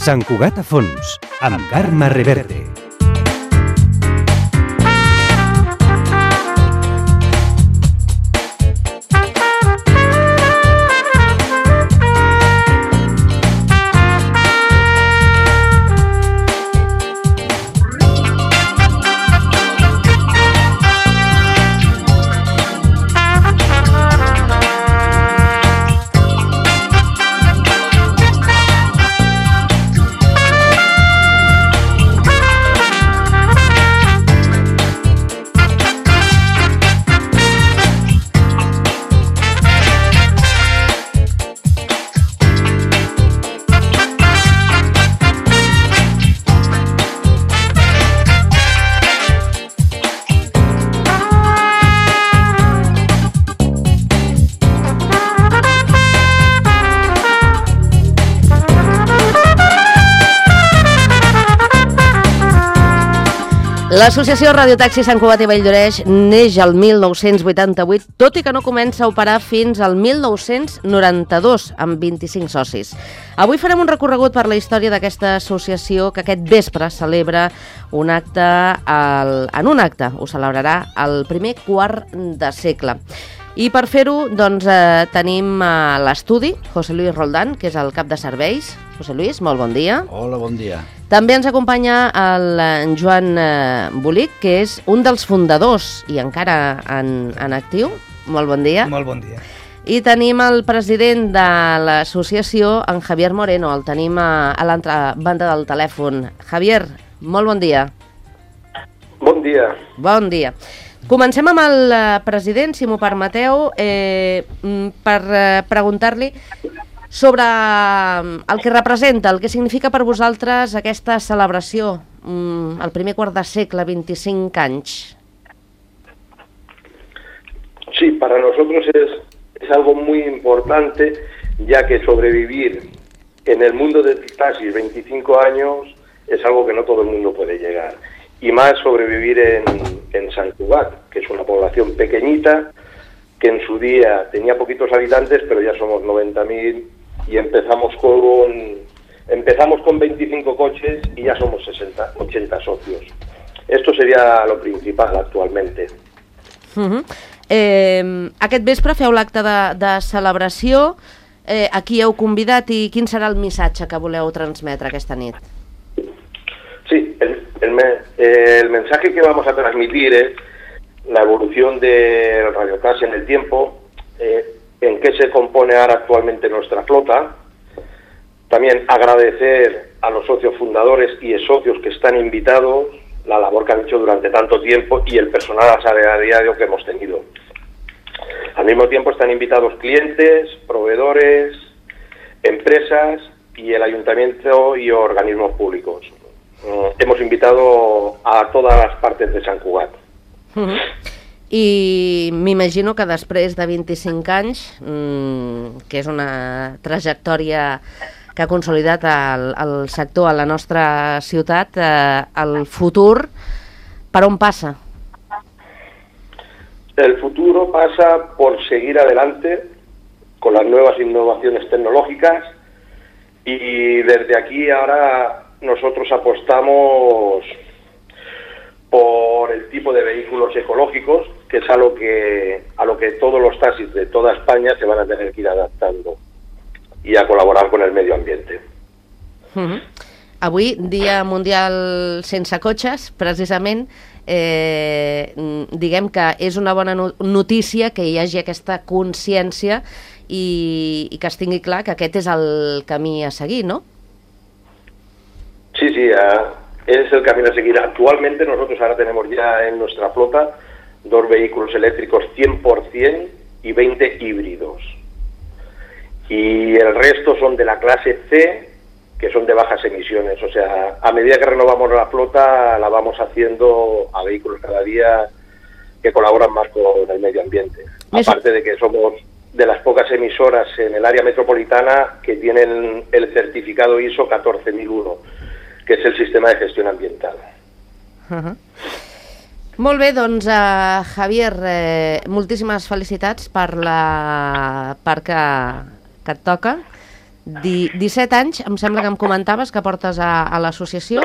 Sant Cugat a fons, amb Carme Reverte. L'associació Radiotaxi Sant Cugat i Valldoreix neix el 1988, tot i que no comença a operar fins al 1992, amb 25 socis. Avui farem un recorregut per la història d'aquesta associació que aquest vespre celebra un acte, ho celebrarà el primer quart de segle. I per fer-ho, doncs, tenim a l'estudi José Luis Roldán, que és el cap de serveis. José Luis, molt bon dia. Hola, bon dia. També ens acompanya el Joan Bolic, que és un dels fundadors i encara en actiu. Molt bon dia. Molt bon dia. I tenim el president de l'associació, en Javier Moreno. El tenim a l'altra banda del telèfon. Javier, molt bon dia. Bon dia. Bon dia. Comencem amb el president, si m'ho permeteu, per preguntar-li sobre el que representa, el que significa per vosaltres aquesta celebració, el primer quart de segle, 25 anys. Sí, para nosotros es algo muy importante, ya que sobrevivir en el mundo del taxi 25 años es algo que no todo el mundo puede llegar. Y más sobrevivir en Sant Cugat, que es una población pequeñita, que en su día tenía poquitos habitantes, pero ya somos 90.000 y empezamos con 25 coches y ya somos 80 socios. Esto sería lo principal actualmente. Aquest vespre feu l'acte de celebració. A qui heu convidat i quin serà el missatge que voleu transmetre aquesta nit? Sí, el mensaje que vamos a transmitir es la evolución del radiotaxi en el tiempo, en qué se compone ahora actualmente nuestra flota. También agradecer a los socios fundadores y socios que están invitados, la labor que han hecho durante tanto tiempo y el personal asalariado que hemos tenido. Al mismo tiempo están invitados clientes, proveedores, empresas y el ayuntamiento y organismos públicos. Hemos invitado a todas las partes de Sant Cugat. I m'imagino que després de 25 anys, que és una trajectòria que ha consolidat el sector a la nostra ciutat, el futur, per on passa? El futuro pasa por seguir adelante con las nuevas innovaciones tecnológicas y desde aquí ahora nosotros apostamos por el tipo de vehículos ecológicos, que es a lo que todos los taxis de toda España se van a tener que ir adaptando y a colaborar con el medio ambiente. Avui, Dia Mundial Sense Cotxes, precisament, diguem que és una bona notícia que hi hagi aquesta consciència i que es tingui clar que aquest és el camí a seguir, ¿no? Sí, es el camino a seguir. Actualmente nosotros ahora tenemos ya en nuestra flota 2 vehículos eléctricos 100% y 20 híbridos. Y el resto son de la clase C, que son de bajas emisiones. O sea, a medida que renovamos la flota, la vamos haciendo a vehículos cada día que colaboran más con el medio ambiente. Aparte de que somos de las pocas emisoras en el área metropolitana que tienen el certificado ISO 14001, que es el sistema de gestión ambiental. Molt bé, doncs, Javier, moltíssimes felicitats per que et toca. 17 anys, em sembla que em comentaves que portes a l'associació.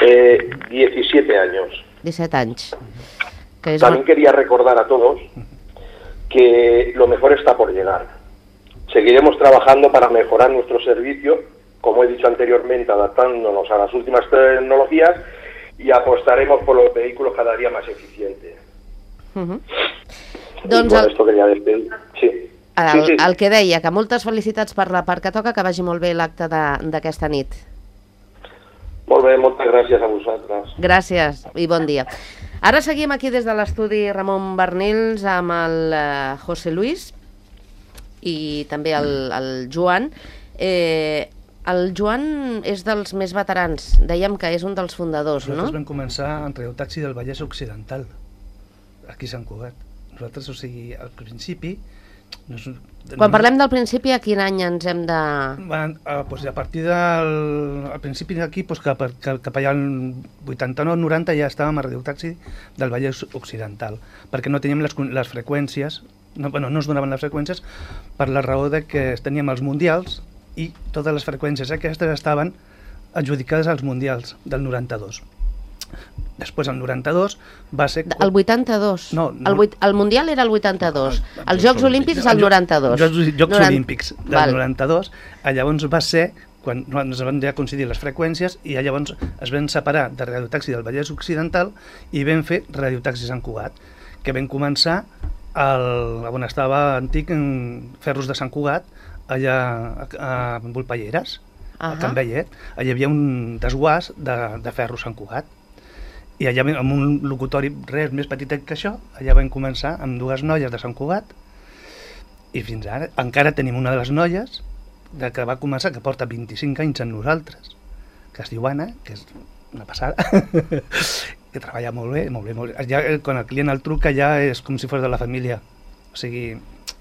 17 años. 17 anys. También quería recordar a todos que lo mejor está por llegar. Seguiremos trabajando para mejorar nuestro servicio, como he dicho anteriormente, adaptándonos a las últimas tecnologías y apostaremos por los vehículos cada día más eficientes. Doncs esto quería decir. Sí. El que deia, que moltes felicitats per la part que toca, que vagi molt bé l'acte d'aquesta nit. Molt bé, moltes gràcies a vosaltres. Gràcies i bon dia. Ara seguim aquí des de l'estudi Ramon Barnils amb el José Luis i també el Joan. El Joan és dels més veterans, dèiem que és un dels fundadors, no? Nosaltres vam començar en Radiotaxi del Vallès Occidental, aquí a Sant Cugat. Nosaltres, o sigui, al principi... Quan parlem del principi, a quin any ens hem de... A partir del principi d'aquí, cap allà al 89-90 ja estàvem a Radiotaxi del Vallès Occidental, perquè no teníem les freqüències, no ens donaven les freqüències per la raó de que teníem els mundials i totes les freqüències aquestes estaven adjudicades als mundials del 92. Després, el 92, va ser... El 82? No. El Mundial era el 82. Els Jocs Olímpics és el 92. Jocs Olímpics del 92. Llavors va ser quan ens van ja coincidir les freqüències i llavors es van separar de Radiotaxi del Vallès Occidental i vam fer Radiotaxi Sant Cugat, que vam començar on estava antic Ferros de Sant Cugat, allà a Volpelleres, a Can Vellet. Allà hi havia un desguàs de Ferros Sant Cugat. I allà, amb un locutori res més petit que això, allà vam començar amb 2 noies de Sant Cugat i fins ara encara tenim una de les noies que va començar, que porta 25 anys amb nosaltres, que es diu Anna, que és una passada, que treballa molt bé, molt bé, molt bé. Ja, quan el client el truca ja és com si fos de la família, o sigui...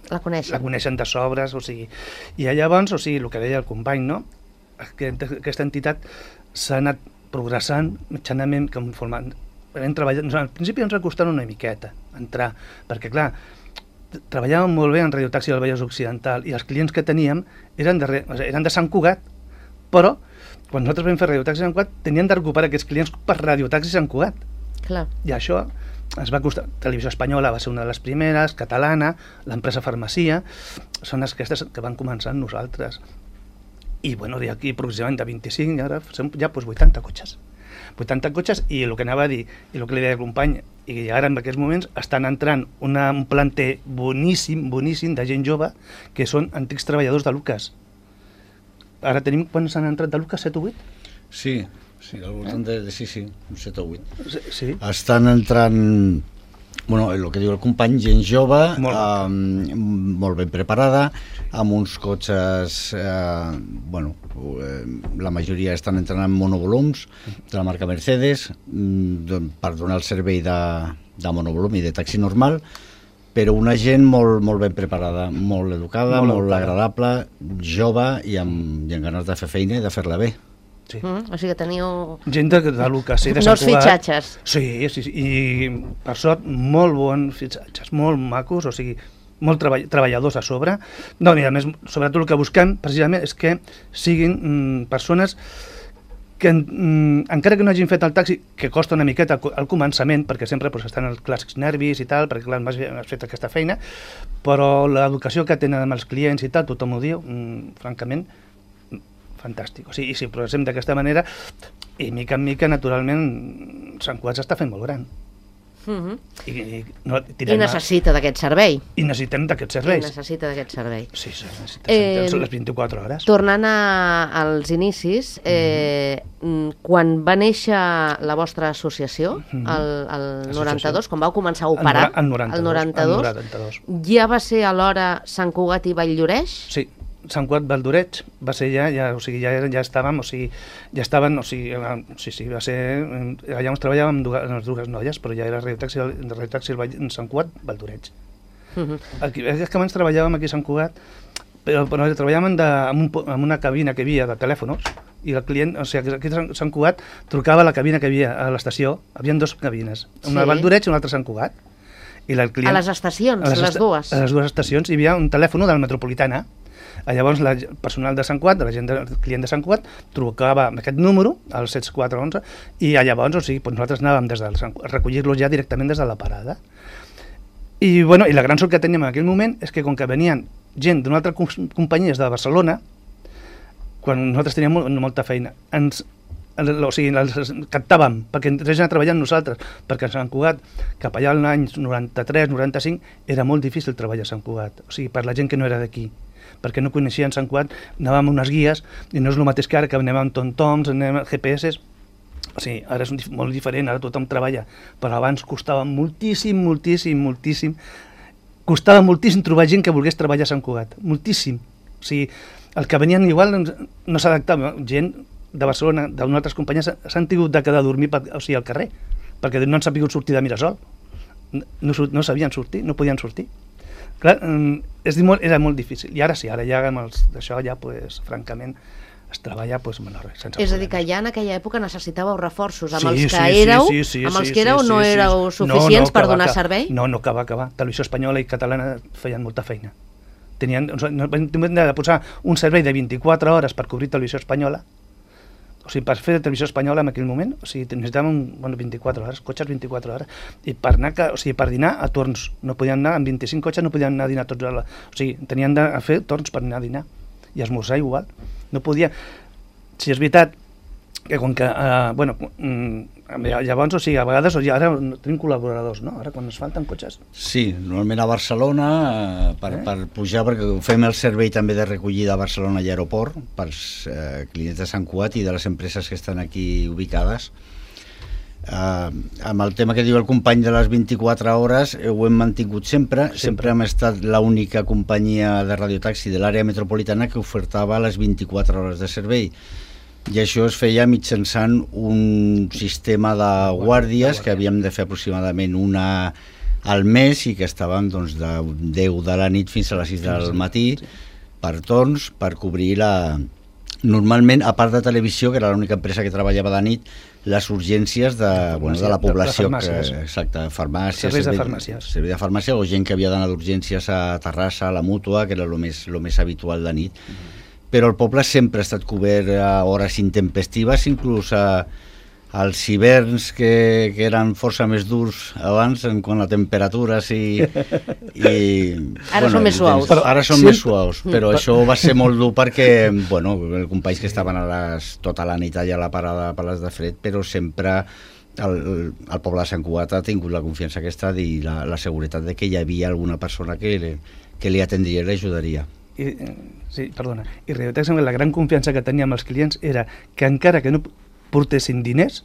La coneixen de sobres, o sigui... I llavors, o sigui, el que deia el company, no? Aquesta entitat s'ha anat progressant mitjanament conformant. Al principi ens va costar una miqueta entrar, perquè clar, treballàvem molt bé en Radiotaxi del Vallès Occidental i els clients que teníem eren de Sant Cugat, però quan nosaltres vam fer Radiotaxi Sant Cugat tenien de recuperar aquests clients per Radiotaxi Sant Cugat. Clar. I això ens va costar. Televisió Espanyola va ser una de les primeres, catalana, l'empresa Farmacia, són aquestes que van començar amb nosaltres. I bueno, d'aquí aproximadament de 25, ara som ja 80 cotxes. 80 cotxes i el que anava a dir, i el que li deia el company, i ara en aquests moments estan entrant un planter boníssim de gent jove que són antics treballadors de Lucas. Ara tenim, quan s'han entrat de Lucas, 7 o 8? Sí, al voltant de 7 o 8. Sí. Estan entrant... Bueno, el que diu el company, gent jove, molt ben preparada, amb uns cotxes, la majoria estan entrant en monovolums de la marca Mercedes per donar el servei de monovolum i de taxi normal, però una gent molt ben preparada, molt educada, molt agradable, jove i amb ganes de fer feina i de fer-la bé. Sí. O sigui que teniu... Gent de Lucas, de Sant Cugat. Fitxatges. Sí, i per sort molt bons fitxatges, molt macos, o sigui, molt treballadors a sobre. No, i a més, sobretot el que busquem precisament és que siguin persones que encara que no hagin fet el taxi, que costa una miqueta al començament, perquè sempre estan els clàssics nervis i tal, perquè clar, has fet aquesta feina, però l'educació que tenen amb els clients i tal, tothom ho diu, francament, fantàstic. O sigui, i si progressem d'aquesta manera, i mica en mica, naturalment, Sant Cugat s'està fent molt gran. I necessita d'aquest servei. I necessitem d'aquest servei. Sí, necessita les 24 hores. Tornant als inicis, quan va néixer la vostra associació, el 92, quan vau començar a operar, el 92, ja va ser alhora Sant Cugat i Valldoreix? Sí. Sant Cugat Valldoreix va ser ja estàvem, va ser, allà on treballàvem amb les dues noies, però ja era Radiotaxi Sant Cugat Valldoreix. És que abans treballàvem aquí a Sant Cugat, però treballàvem en una cabina que hi havia de telèfons, i el client, o sigui, aquí a Sant Cugat trucava a la cabina que hi havia a l'estació, hi havia 2 cabines, una a Valldoreix i una altra a Sant Cugat. I el client, a les estacions, les dues? A les dues estacions hi havia un telèfon de la Metropolitana. Llavors el personal de Sant Cugat, el client de Sant Cugat, trucava amb aquest número, el 7411, i llavors, o sigui, nosaltres anàvem des del a recollir-los ja directament des de la parada. I, bueno, i la gran sort que teníem en aquell moment és que com que venien gent d'una altra companyia de Barcelona, quan nosaltres teníem molta feina, o sigui, els captàvem perquè entrés a treballar amb nosaltres, perquè a Sant Cugat, cap allà als anys 93-95, era molt difícil treballar a Sant Cugat, o sigui, per la gent que no era d'aquí, perquè no coneixien Sant Cugat, anàvem amb unes guies, i no és el mateix que ara, que anem amb tom-toms, anem amb GPS, o sigui, ara és molt diferent, ara tothom treballa, però abans costava moltíssim, costava moltíssim trobar gent que volgués treballar a Sant Cugat, moltíssim, o sigui, el que venien igual no s'adaptava, gent de Barcelona, d'unes altres companyies, s'han tingut de quedar a dormir al carrer, perquè no han sabut sortir de Mirasol, no sabien sortir, no podien sortir. Clar, era molt difícil, i ara sí, ara ja amb això ja, francament, es treballa sense problemes. És a dir, que ja en aquella època necessitàveu reforços, amb els que éreu no éreu suficients per donar servei? No, que va. Televisió Espanyola i Catalana feien molta feina. Vam de posar un servei de 24 hores per cobrir Televisió Espanyola, o sigui, per fer Televisió Espanyola en aquell moment, o sigui, necessitàvem 24 hores, cotxes 24 hores, i per dinar a torns, no podien anar, amb 25 cotxes no podien anar a dinar tots, o sigui, tenien de fer torns per anar a dinar, i esmorzar igual, no podia. Si és veritat que com que, llavors, o sigui, a vegades, ara tenim col·laboradors, no? Ara quan ens falten cotxes. Sí, normalment a Barcelona, per pujar, perquè fem el servei també de recollida a Barcelona i aeroport, pels clients de Sant Cugat i de les empreses que estan aquí ubicades. Amb el tema que diu el company de les 24 hores, ho hem mantingut sempre hem estat l'única companyia de radiotaxi de l'àrea metropolitana que ofertava les 24 hores de servei. I això es feia mitjançant un sistema de guàrdies que havíem de fer aproximadament una al mes i que estaven de 10 de la nit fins a les 6 del matí per torns, per cobrir normalment, a part de televisió, que era l'única empresa que treballava de nit, les urgències de la població. Exacte, farmàcies. Servei de farmàcia o gent que havia d'anar d'urgències a Terrassa, a la Mútua, que era el més habitual de nit. Però el poble sempre ha estat cobert a hores intempestives, inclús als hiverns que eren força més durs abans en quant a temperatures ara són més suaus. Ara són més suaus, però això va ser molt dur perquè, els companys que estaven tota la nit allà a la parada per les de fred, però sempre el poble de Sant Cugat ha tingut la confiança aquesta i la seguretat de que hi havia alguna persona que li atendria i l'ajudaria. Sí, perdona. I Radiotaxi, la gran confiança que tenia amb els clients era que encara que no portessin diners,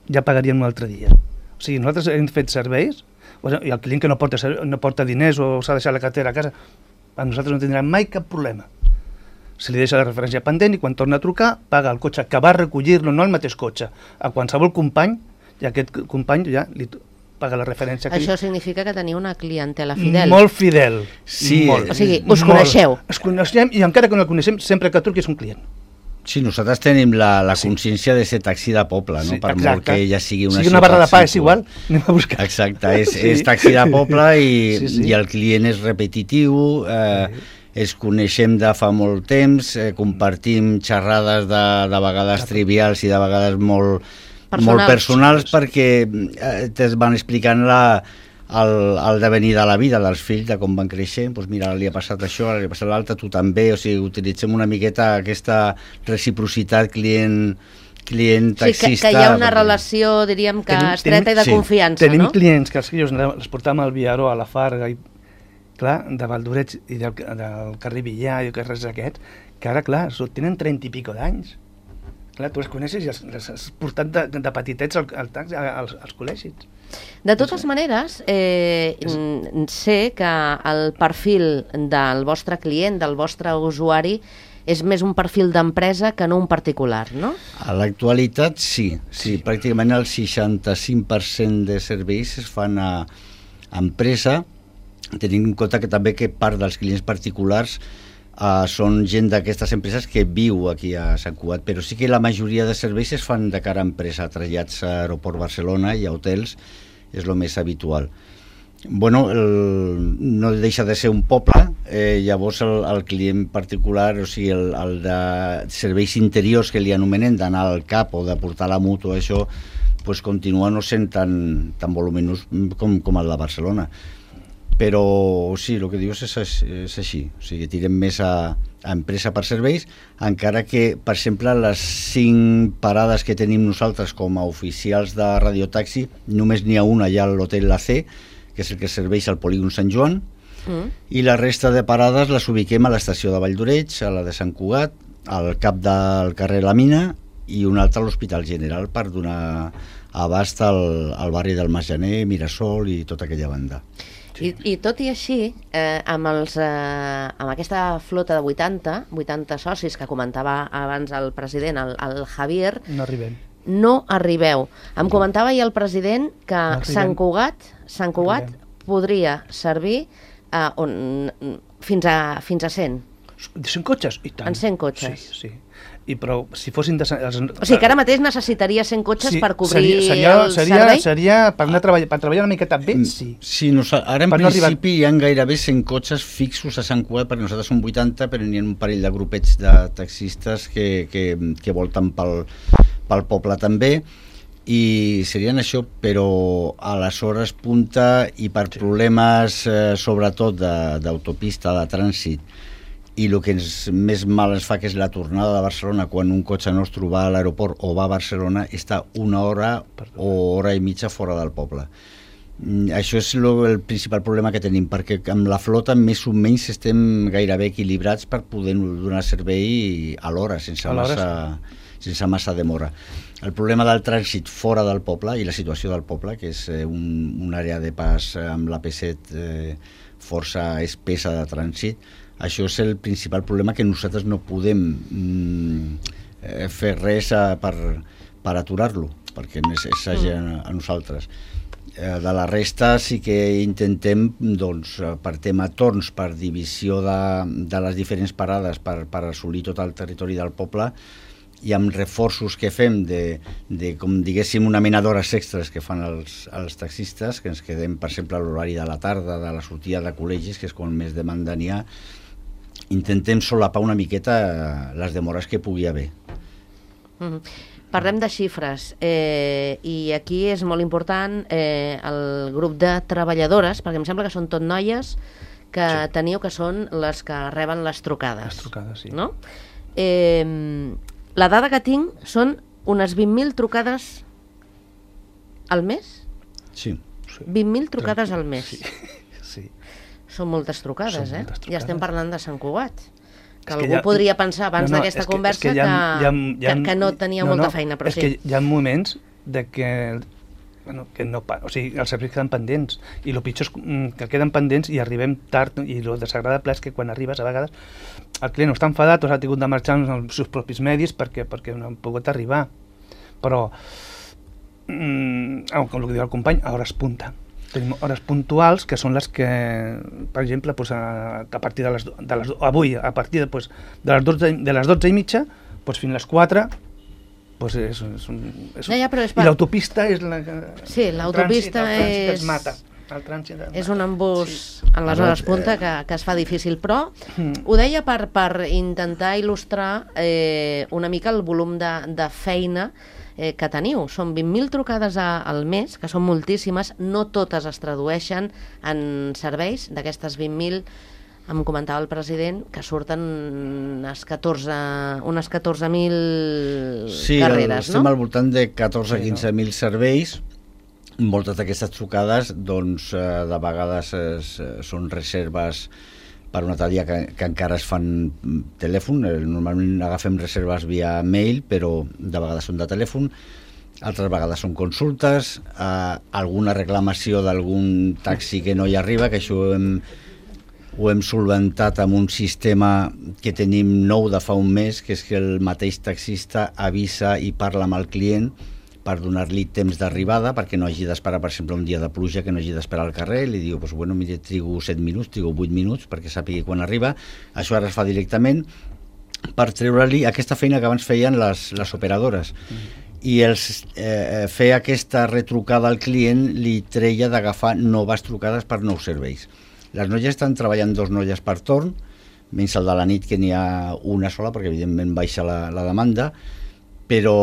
ja pagarien un altre dia. O sigui, nosaltres hem fet serveis, i el client que no porta diners o s'ha deixat la cartera a casa, a nosaltres no tindrà mai cap problema. Se li deixa la referència pendent i quan torna a trucar, paga el cotxe que va recollir-lo, no el mateix cotxe, a qualsevol company, i aquest company ja li paga la referència. Això significa que teniu una clientela fidel. Molt fidel. Sí. O sigui, us coneixeu. Ens coneixem i encara que no el coneixem, sempre que truqui és un client. Sí, nosaltres tenim la consciència de ser taxi de poble, no? Per molt que ja sigui una ciutat. Si una barra de pa és igual, anem a buscar. Exacte, és taxi de poble i el client és repetitiu, ens coneixem de fa molt temps, compartim xerrades de vegades trivials i de vegades molt personals perquè es van explicant el devenir de la vida dels fills, de com van creixent, doncs mira, li ha passat això, li ha passat l'altre, tu també, o sigui, utilitzem una miqueta aquesta reciprocitat client-taxista. Sí, que hi ha una relació, diríem, que estreta i de confiança, no? Tenim clients que els portàvem al Viaró, a la Farga, i clar, de Valldoreix i del carrer Villar i carrers aquests, que ara, clar, tenen 30 i pico d'anys. Clar, tu els coneixes i els has portat de petitets als col·legis. De totes maneres, sé que el perfil del vostre client, del vostre usuari, és més un perfil d'empresa que no un particular, no? A l'actualitat sí, pràcticament el 65% de serveis es fan a empresa, tenint en compte que també que part dels clients particulars són gent d'aquestes empreses que viu aquí a Sant Cugat, però sí que la majoria de serveis es fan de cara a empresa, trasllats a Aeroport Barcelona i a hotels, és el més habitual. Bueno, no deixa de ser un poble, llavors el client particular, o sigui, el de serveis interiors que li anomenen, d'anar al CAP o de portar la moto, això, pues continua no sent tan voluminós com el de Barcelona. Però sí, el que dius és així, o sigui, tirem més a empresa per serveis, encara que, per exemple, les 5 parades que tenim nosaltres com a oficials de radiotaxi, només n'hi ha una allà a l'hotel La C, que és el que serveix al polígon Sant Joan, i la resta de parades les ubiquem a l'estació de Valldoreix, a la de Sant Cugat, al cap del carrer La Mina i una altra a l'Hospital General per donar abast al barri del Masgener, Mirasol i tota aquella banda. I tot i així, amb aquesta flota de 80 socis que comentava abans el president, el Javier, no arribeu. Em comentava ahir el president que Sant Cugat podria servir fins a 100. 100 cotxes? I tant. En 100 cotxes. Sí. Però si fossin... O sigui que ara mateix necessitaria 100 cotxes per cobrir el servei? Seria per treballar una miqueta bé, sí. Sí, ara en principi hi ha gairebé 100 cotxes fixos a Sant Cugat, perquè nosaltres som 80, però n'hi ha un parell de grupets de taxistes que volten pel poble també, i serien això, però a les hores punta i per problemes sobretot d'autopista, de trànsit, i el que més mal ens fa, que és la tornada de Barcelona, quan un cotxe nostre va a l'aeroport o va a Barcelona, està 1 hora o hora i mitja fora del poble. Això és el principal problema que tenim, perquè amb la flota més o menys estem gairebé equilibrats per poder donar servei a l'hora, sense massa demora. El problema del trànsit fora del poble i la situació del poble, que és una àrea de pas amb l'AP7 força espessa de trànsit, això és el principal problema, que nosaltres no podem fer res per aturar-lo, perquè és a nosaltres. De la resta sí que intentem, doncs, per tema torns, per divisió de les diferents parades, per assolir tot el territori del poble, i amb reforços que fem de com diguéssim, una mena d'hores extres que fan els taxistes, que ens quedem, per exemple, a l'horari de la tarda, de la sortida de col·legis, que és quan més demanda n'hi ha, intentem solapar una miqueta les demores que pugui haver. Parlem de xifres, i aquí és molt important el grup de treballadores, perquè em sembla que són tot noies que teniu, que són les que reben les trucades. Les trucades, sí. No? La dada que tinc són unes 20.000 trucades al mes? Sí. 20.000 trucades al mes. Sí. Són moltes trucades, Ja estem parlant de Sant Cugat. Que algú ja podria pensar abans d'aquesta conversa que no tenia molta feina, però sí. És que hi ha moments de que o sigui, els serveis queden pendents, i el pitjor és que queden pendents i arribem tard, i el desagradable és que quan arribes a vegades el client no està enfadat o s'ha tingut de marxar amb els seus propis medis perquè no han pogut arribar, però com el que diu el company, a hores punta. Tenim hores puntuals, que són les que, per exemple, a partir de les avui, a partir de les 12:30 fins les 4, i l'autopista és la que... Sí, l'autopista es mata. És un embús en les hores punta que es fa difícil, però ho deia per intentar il·lustrar una mica el volum de feina que teniu. Són 20.000 trucades al mes, que són moltíssimes, no totes es tradueixen en serveis. D'aquestes 20.000, em comentava el president, que surten unes 14.000 carreres, no? Sí, estem al voltant de 14-15.000 serveis. Moltes d'aquestes trucades, doncs, de vegades són reserves per un altre dia que encara es fan telèfon. Normalment agafem reserves via mail, però de vegades són de telèfon, altres vegades són consultes, alguna reclamació d'algun taxi que no hi arriba, que això ho hem solventat amb un sistema que tenim nou de fa un mes, que és que el mateix taxista avisa i parla amb el client per donar-li temps d'arribada, perquè no hagi d'esperar, per exemple, un dia de pluja, que no hagi d'esperar al carrer, li diu, pues, bueno, mira, trigo 7 minuts, trigo 8 minuts, perquè sàpigui quan arriba. Això ara es fa directament per treure-li aquesta feina que abans feien les operadores. I fer aquesta retrucada al client li treia d'agafar noves trucades per nous serveis. Les noies estan treballant 2 noies per torn, menys el de la nit, que n'hi ha una sola, perquè evidentment baixa la demanda, però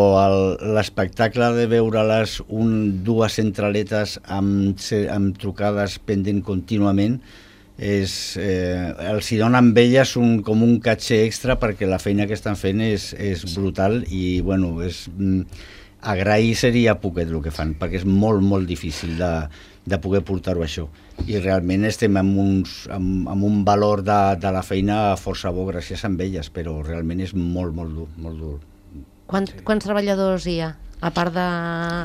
l'espectacle de veure-les 2 centraletes amb trucades pendent contínuament els hi dona amb elles com un caché extra, perquè la feina que estan fent és brutal i bueno, agrair seria poquet el que fan, perquè és molt, molt difícil de poder portar-ho això. I realment estem amb un valor de la feina força bo gràcies a elles, però realment és molt, molt dur, molt dur. Quants treballadors hi ha? A part de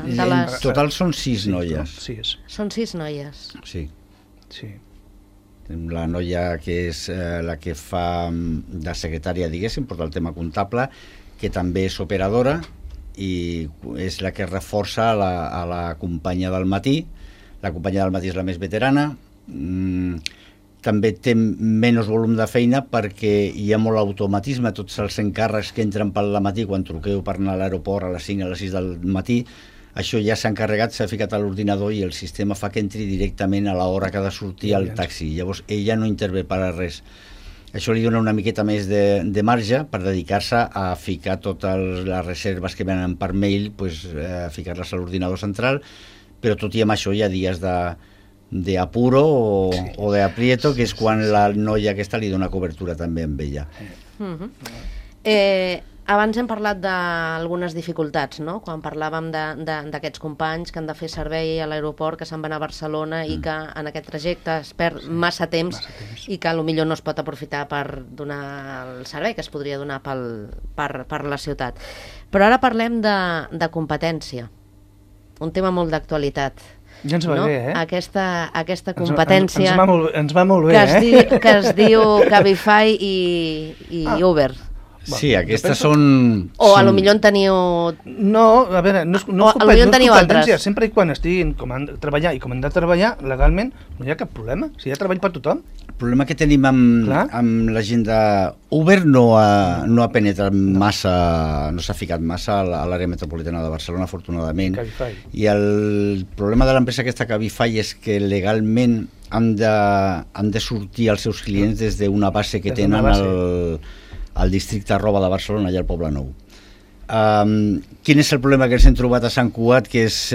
les... En total són 6 noies. 6. Són 6 noies? Sí. Sí. La noia que és la que fa de secretària, diguéssim, porta el tema comptable, que també és operadora i és la que reforça a la companya del matí. La companya del matí és la més veterana. També té menys volum de feina perquè hi ha molt automatisme, tots els encàrrecs que entren pel matí quan truqueu per anar a l'aeroport a les 5 a les 6 del matí, això ja s'ha encarregat, s'ha ficat a l'ordinador i el sistema fa que entri directament a l'hora que ha de sortir el taxi. Llavors ella no intervé per a res. Això li dona una miqueta més de marge per dedicar-se a ficar totes les reserves que venen per mail, a ficar-les a l'ordinador central, però tot i amb això hi ha dies de apuro o de aprieto, que és quan la noia aquesta li dona cobertura també amb ella. Abans hem parlat d'algunes dificultats, no? Quan parlàvem d'aquests companys que han de fer servei a l'aeroport, que se'n van a Barcelona i que en aquest trajecte es perd massa temps i que potser no es pot aprofitar per donar el servei que es podria donar per la ciutat. Però ara parlem de competència, un tema molt d'actualitat. Ja ens va bé, eh? Aquesta competència ens va molt bé, que es diu Cabify i Uber. Sí, aquestes són... O a lo millor en teniu... No, a veure, no és competència. Sempre i quan estiguin com han de treballar i com han de treballar legalment, no hi ha cap problema. Si hi ha treball per tothom. El problema que tenim amb la gent de Uber no ha penetrat massa, no s'ha ficat massa a l'àrea metropolitana de Barcelona, afortunadament. Cabify. I el problema de l'empresa aquesta Cabify és que legalment han de sortir els seus clients des d'una base que tenen al districte Arroba de Barcelona, allà al Poble Nou. Quin és el problema que ens hem trobat a Sant Cugat, que és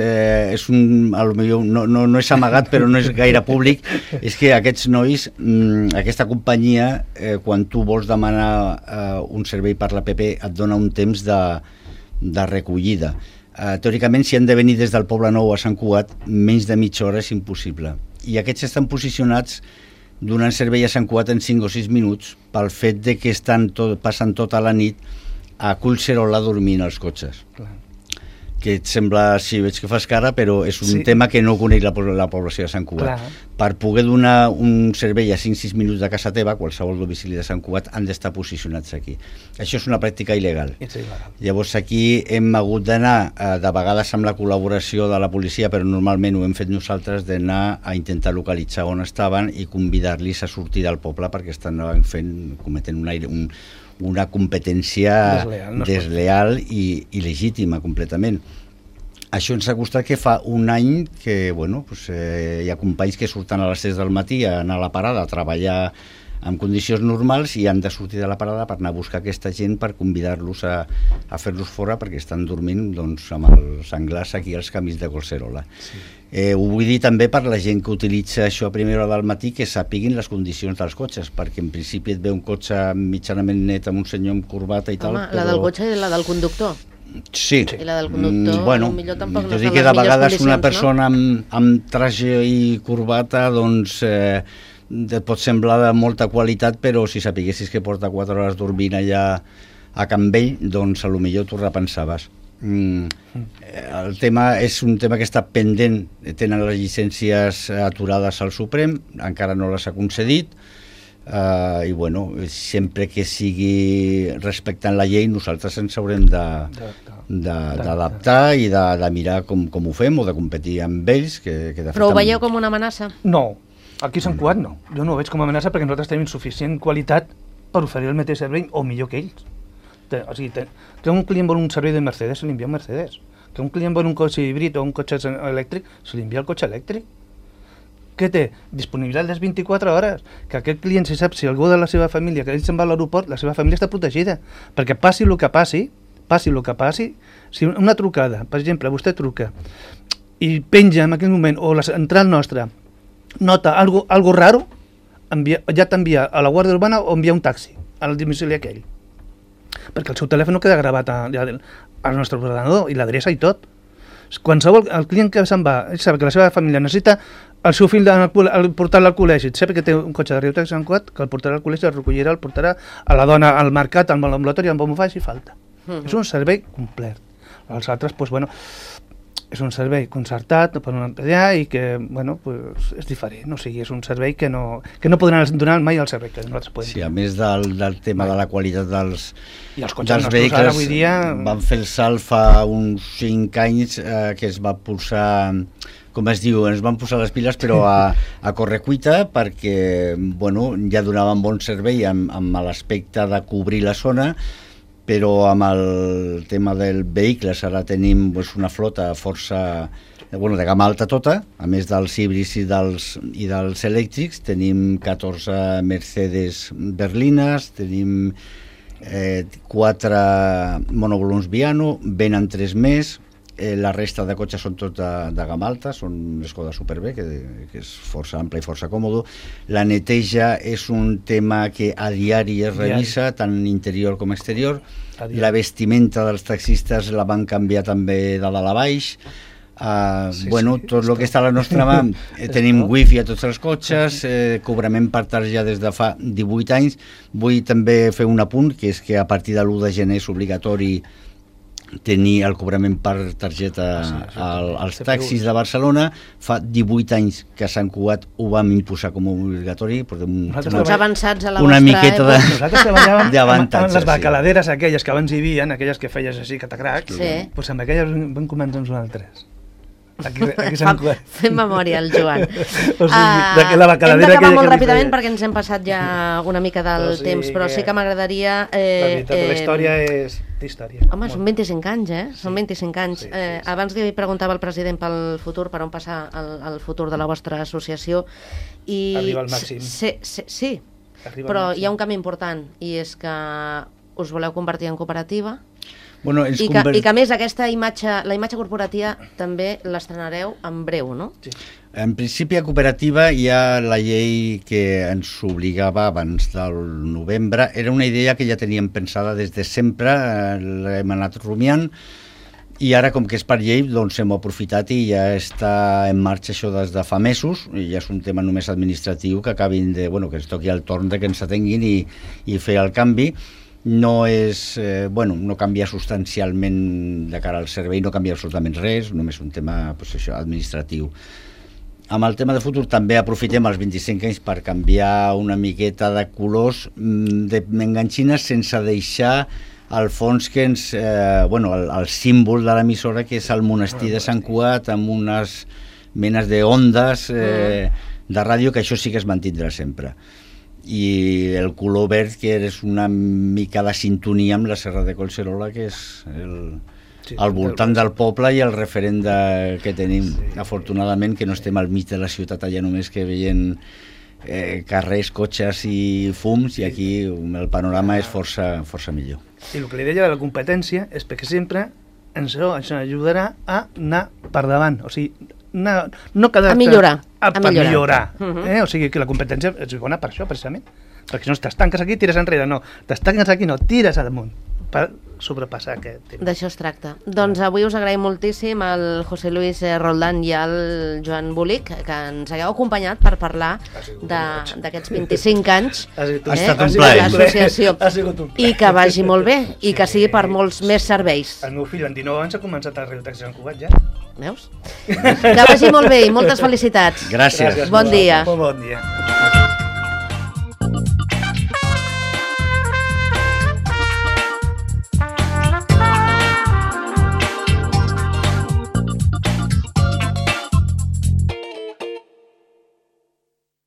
no és amagat però no és gaire públic, és que aquests nois, aquesta companyia, quan tu vols demanar un servei per l'APP et dona un temps de recollida. Teòricament, si han de venir des del Poble Nou a Sant Cugat, menys de mitja hora és impossible. I aquests estan posicionats donant servei a Sant Cugat en 5 o 6 minuts pel fet de que passen tota la nit a Collserola dormint als cotxes. Clar. Que et sembla, sí, veig que fas cara, però és un tema que no coneix la població de Sant Cugat. Clar. Per poder donar un servei a 5-6 minuts de casa teva, qualsevol domicili de Sant Cugat, han d'estar posicionats aquí. Això és una pràctica il·legal. Llavors aquí hem hagut d'anar, de vegades amb la col·laboració de la policia, però normalment ho hem fet nosaltres, d'anar a intentar localitzar on estaven i convidar-los a sortir del poble perquè estan cometent una competència desleal i legítima completament. Això ens ha costat que fa un any que hi ha companys que surten a les 6 del matí a anar a la parada a treballar en condicions normals i han de sortir de la parada per anar a buscar aquesta gent per convidar-los a fer-los fora perquè estan dormint amb els senglars aquí als camins de Collserola. Ho vull dir també per la gent que utilitza això a primera hora del matí, que sàpiguin les condicions dels cotxes, perquè en principi et ve un cotxe mitjanament net amb un senyor amb corbata i tal. Home, la del cotxe i la del conductor. Sí. I la del conductor, potser tampoc no és són les que de vegades condicions, una persona amb traje i corbata et pot semblar de molta qualitat, però si sapiguessis que porta 4 hores dormint allà a Can Vell, doncs potser t'ho repensaves. El tema és un tema que està pendent, tenen les llicències aturades al Suprem, encara no les ha concedit, i sempre que sigui respectant la llei nosaltres ens haurem d'adaptar i de mirar com ho fem o de competir amb ells. Però ho veieu com una amenaça? No, aquí a Sant Cugat no. Jo no ho veig com a amenaça perquè nosaltres tenim suficient qualitat per oferir el mateix servei o millor que ells. O sigui, que un client vol un servei de Mercedes, se li envia un Mercedes. Que un client vol un cotxe híbrid o un cotxe elèctric, se li envia el cotxe elèctric. Què té? Disponibilitat les 24 hores. Que aquest client, si sap, si algú de la seva família, que ell se'n va a l'aeroport, la seva família està protegida. Perquè passi el que passi, si una trucada, per exemple, vostè truca i penja en aquell moment, o la central nostra nota algo raro, ja t'envia a la Guàrdia Urbana o envia un taxi al domicili aquell. Perquè el seu telèfon queda gravat al nostre ordenador i l'adreça i tot. Qualsevol, el client que se'n va, ell sap que la seva família necessita el seu fill portar-lo al col·legi, sap que té un cotxe de Radiotaxi Sant Cugat, que el portarà al col·legi, el recollirà, el portarà a la dona al mercat, al ambulatori, on ho faci falta. És un servei complet. Els altres, doncs, bueno, és un servei concertat per una empresa i que, bueno, pues, és diferent. O sigui, és un servei que no podran donar mai el servei que nosaltres podem. Sí, a més del tema de la qualitat dels vehicles, ara, avui dia... van fer el salt fa uns 5 anys que es va posar, com es diu, ens van posar les piles però a correcuita perquè, bueno, ja donaven bon servei amb l'aspecte de cobrir la zona, però amb el tema del vehicles ara tenim una flota força de gamma alta tota, a més dels híbrids i dels elèctrics. Tenim 14 Mercedes berlines, tenim 4 monovolums Viano, venen 3 més, la resta de cotxes són tots de gamma alta, són Skoda Superb, que és força ample i força còmode. La neteja és un tema que a diari es revisa, tant interior com exterior. La vestimenta dels taxistes la van canviar també de dalt a baix. Tot el que està a la nostra mà, tenim wifi a tots els cotxes, cobrament per targeta des de fa 18 anys. Vull també fer un apunt, que és que a partir de l'1 de gener és obligatori tenir el cobrament per targeta als taxis de Barcelona. Fa 18 anys que a Sant Cugat ho vam imposar com a obligatori. Uns avançats a la una vostra miqueta època. Nosaltres treballàvem amb les bacaladeres aquelles que abans hi havia, aquelles que feies així catacrac, doncs amb aquelles vam començar amb nosaltres. Aquí Sant Cugat. Fem memòria, el Joan. O sigui, la hem d'acabar molt ràpidament perquè ens hem passat ja una mica del temps, però sí que m'agradaria... La història és història. Home, són 25 anys, Són 25 anys. Abans li preguntava al president pel futur, per on passar el futur de la vostra associació. Arriba al màxim. Sí, però hi ha un canvi important, i és que us voleu convertir en cooperativa. I que a més la imatge corporativa també l'estrenareu en breu, no? Sí. En principi a cooperativa hi ha la llei que ens obligava abans del novembre. Era una idea que ja teníem pensada des de sempre, l'hem anat rumiant, i ara com que és per llei doncs hem aprofitat i ja està en marxa això des de fa mesos, i ja és un tema només administratiu que acabin que ens toqui el torn de que ens atenguin i fer el canvi. No és, no canvia substancialment de cara al servei, no canvia absolutament res, només un tema administratiu. Amb el tema de futur també aprofitem els 25 anys per canviar una miqueta de colors d'enganxines sense deixar al fons que ens, el símbol de l'emissora, que és el monestir de Sant Cugat, amb unes menes d'ondes de ràdio, que això sí que es mantindrà sempre. I el color verd, que és una mica de sintonia amb la Serra de Collserola, que és al voltant del poble i el referent que tenim. Afortunadament que no estem al mig de la ciutat allà només que veient carrers, cotxes i fums, i aquí el panorama és força millor. I el que li deia de la competència és perquè sempre ens ajudarà a anar per davant, o sigui, no quedar-te... A millorar. O sigui que la competència és bona per això, precisament. Perquè si no t'estanques aquí, tires enrere. No, t'estanques aquí, no, tires amunt per sobrepassar aquest tema. D'això es tracta. Doncs avui us agraïm moltíssim al José Luis Roldán i al Joan Bolic que ens hagueu acompanyat per parlar d'aquests 25 anys de l'associació. I que vagi molt bé i que sigui per molts més serveis. El meu fill en 19 anys ha començat a Radiotaxi Sant Cugat ja. Veus? Que vagi molt bé i moltes felicitats. Gràcies. Bon dia. Bon dia.